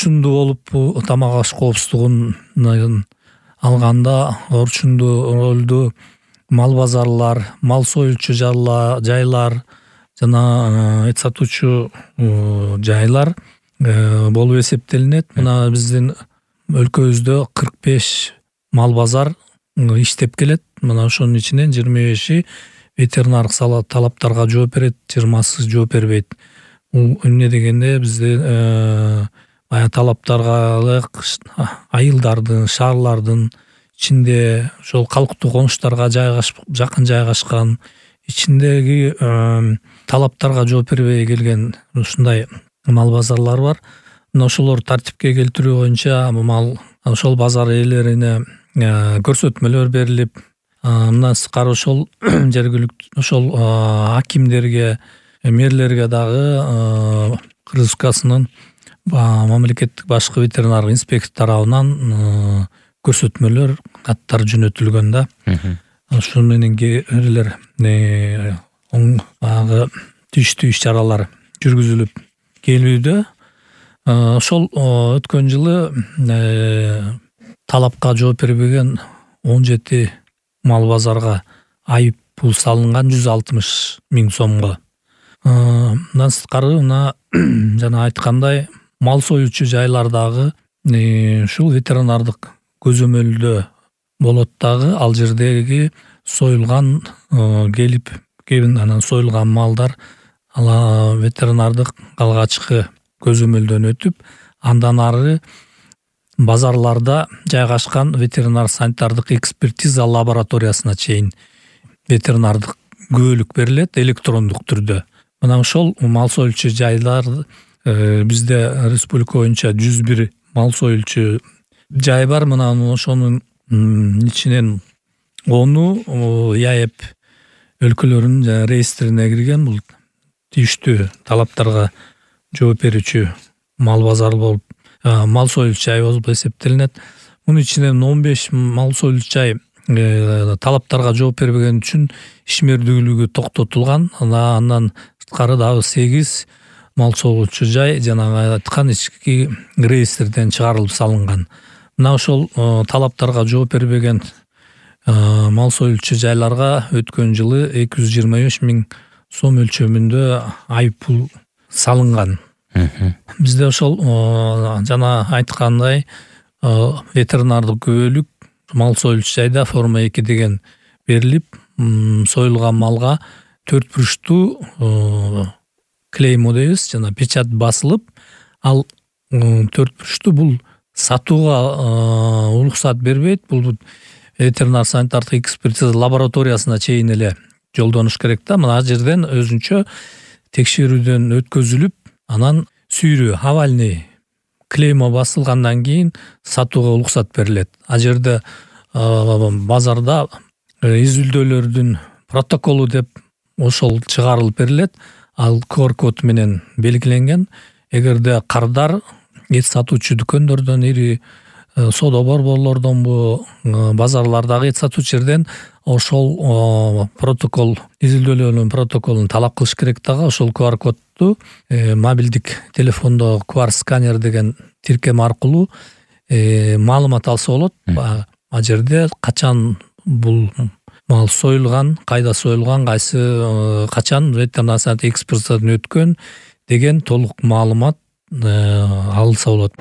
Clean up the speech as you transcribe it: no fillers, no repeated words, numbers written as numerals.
орчундуу болуп тамак аш коопсуздугун алганда орчундуу ролду мал базарлар, мал союлчу жайлар жана эт сатуучу жайлар болуп эсептелинет. Мына биздин өлкөбүздө 45 мал базар иштеп келет. Мына ошонун ичинен 25-и ветеринардык талаптарга жооп берет, 20-сы жооп бербейт. Бул эмне дегенде бизде баягы талаптарга ылайык айылдардын, шаарлардын ичинде ошол калктуу конуштарга жакын жайгашкан ичиндеги талаптарга жооп бербей келген ушундай мал базарлар бар. Мына ошолор тартипке келтирүү боюнча ошол базар ээлерине көрсөтмөлөр берилип, мындан сырткары ошол жергиликтүү ошол акимдерге, мэрлерге дагы Кыргызстанын мамлекеттик башкы ветеринардык инспектор тарабынан көрсөтмөлөр, каттар жөнөтүлгөн да. Ошол менен элер тийиштүү иш-чаралар жүргүзүлүп келүүдө. Ошол өткөн жылы талапка жооп бербеген 17 мал базарга айып пул салынган 160 000 сомго. Мындан сырткары жана айткандай мал союучу жайлардагы ушул ветеринардык көзөмөлдө болот дагы. Ал жердеги союлган анан союлган малдар ветеринардык алгачкы көзөмөлдөн өтүп, андан ары базарларда жайгашкан ветеринар санитардык экспертиза лабораториясына чейин ветеринардык күбөлүк берилет электрондук түрдө. Мына ошол мал союлчу жайлар бизде республика боюнча 101 мал союлчу жай бар. Мына ошонун ичинен 10-у ЯЭП өлкөлөрүнүн реестрине кирген. Бул тийиштүү талаптарга жооп берүүчү мал базар болуп, мал союлчу жай болуп эсептелинет. Мунун ичинен 15 мал союлчу жай талаптарга жооп бербеген үчүн ишмердүүлүгү токтотулган. Андан сырткары дагы 8 мал союлчу жай жанагы айткан ички реестрден чыгарылып салынган. Мына ошол талаптарга жооп бербеген мал союлчу жайларга өткөн жылы 225 000 сом өлчөмүндө айып пул салынган. Бизде ошол жана айткандай ветеринардык күбөлүк мал союлчу жайда форма 2 деген берилип, союлган малга 4 бурчтуу клеймо дейбиз, жана печать басылып, ал 4 бурчтуу бул сатууга уруксат бербейт. Бул ветеринар санитардык экспертиза лабораториясына чейин эле жолдоnuш керек да. Мына жерден өзүнчө текшерүүдөн өткөзүлүп, анан сүйрүү авальный клеймо басылгандан кийин сатууга уруксат берилет. А жерде базарда изилдөөлөрдүн протоколу деп ошол чыгарылып берилет. Ал QR код менен белгиленген. Эгерде кардар эт сатуучу дүкөндөрдөн, ири соода борборлордонбу, базарлардагы эт сатуучу жерден ошол протокол, изилдөөлөрдүн протоколун талап кылыш керек дагы. Ошол QR кодду мобилдик телефондо QR сканер деген тиркем аркылуу маалымат алса болот. А жерде качан бул мал союлган, кайда союлган, кайсы качан ветеринар санитардык экспертизадан өткөн деген толук маалымат алынса болот.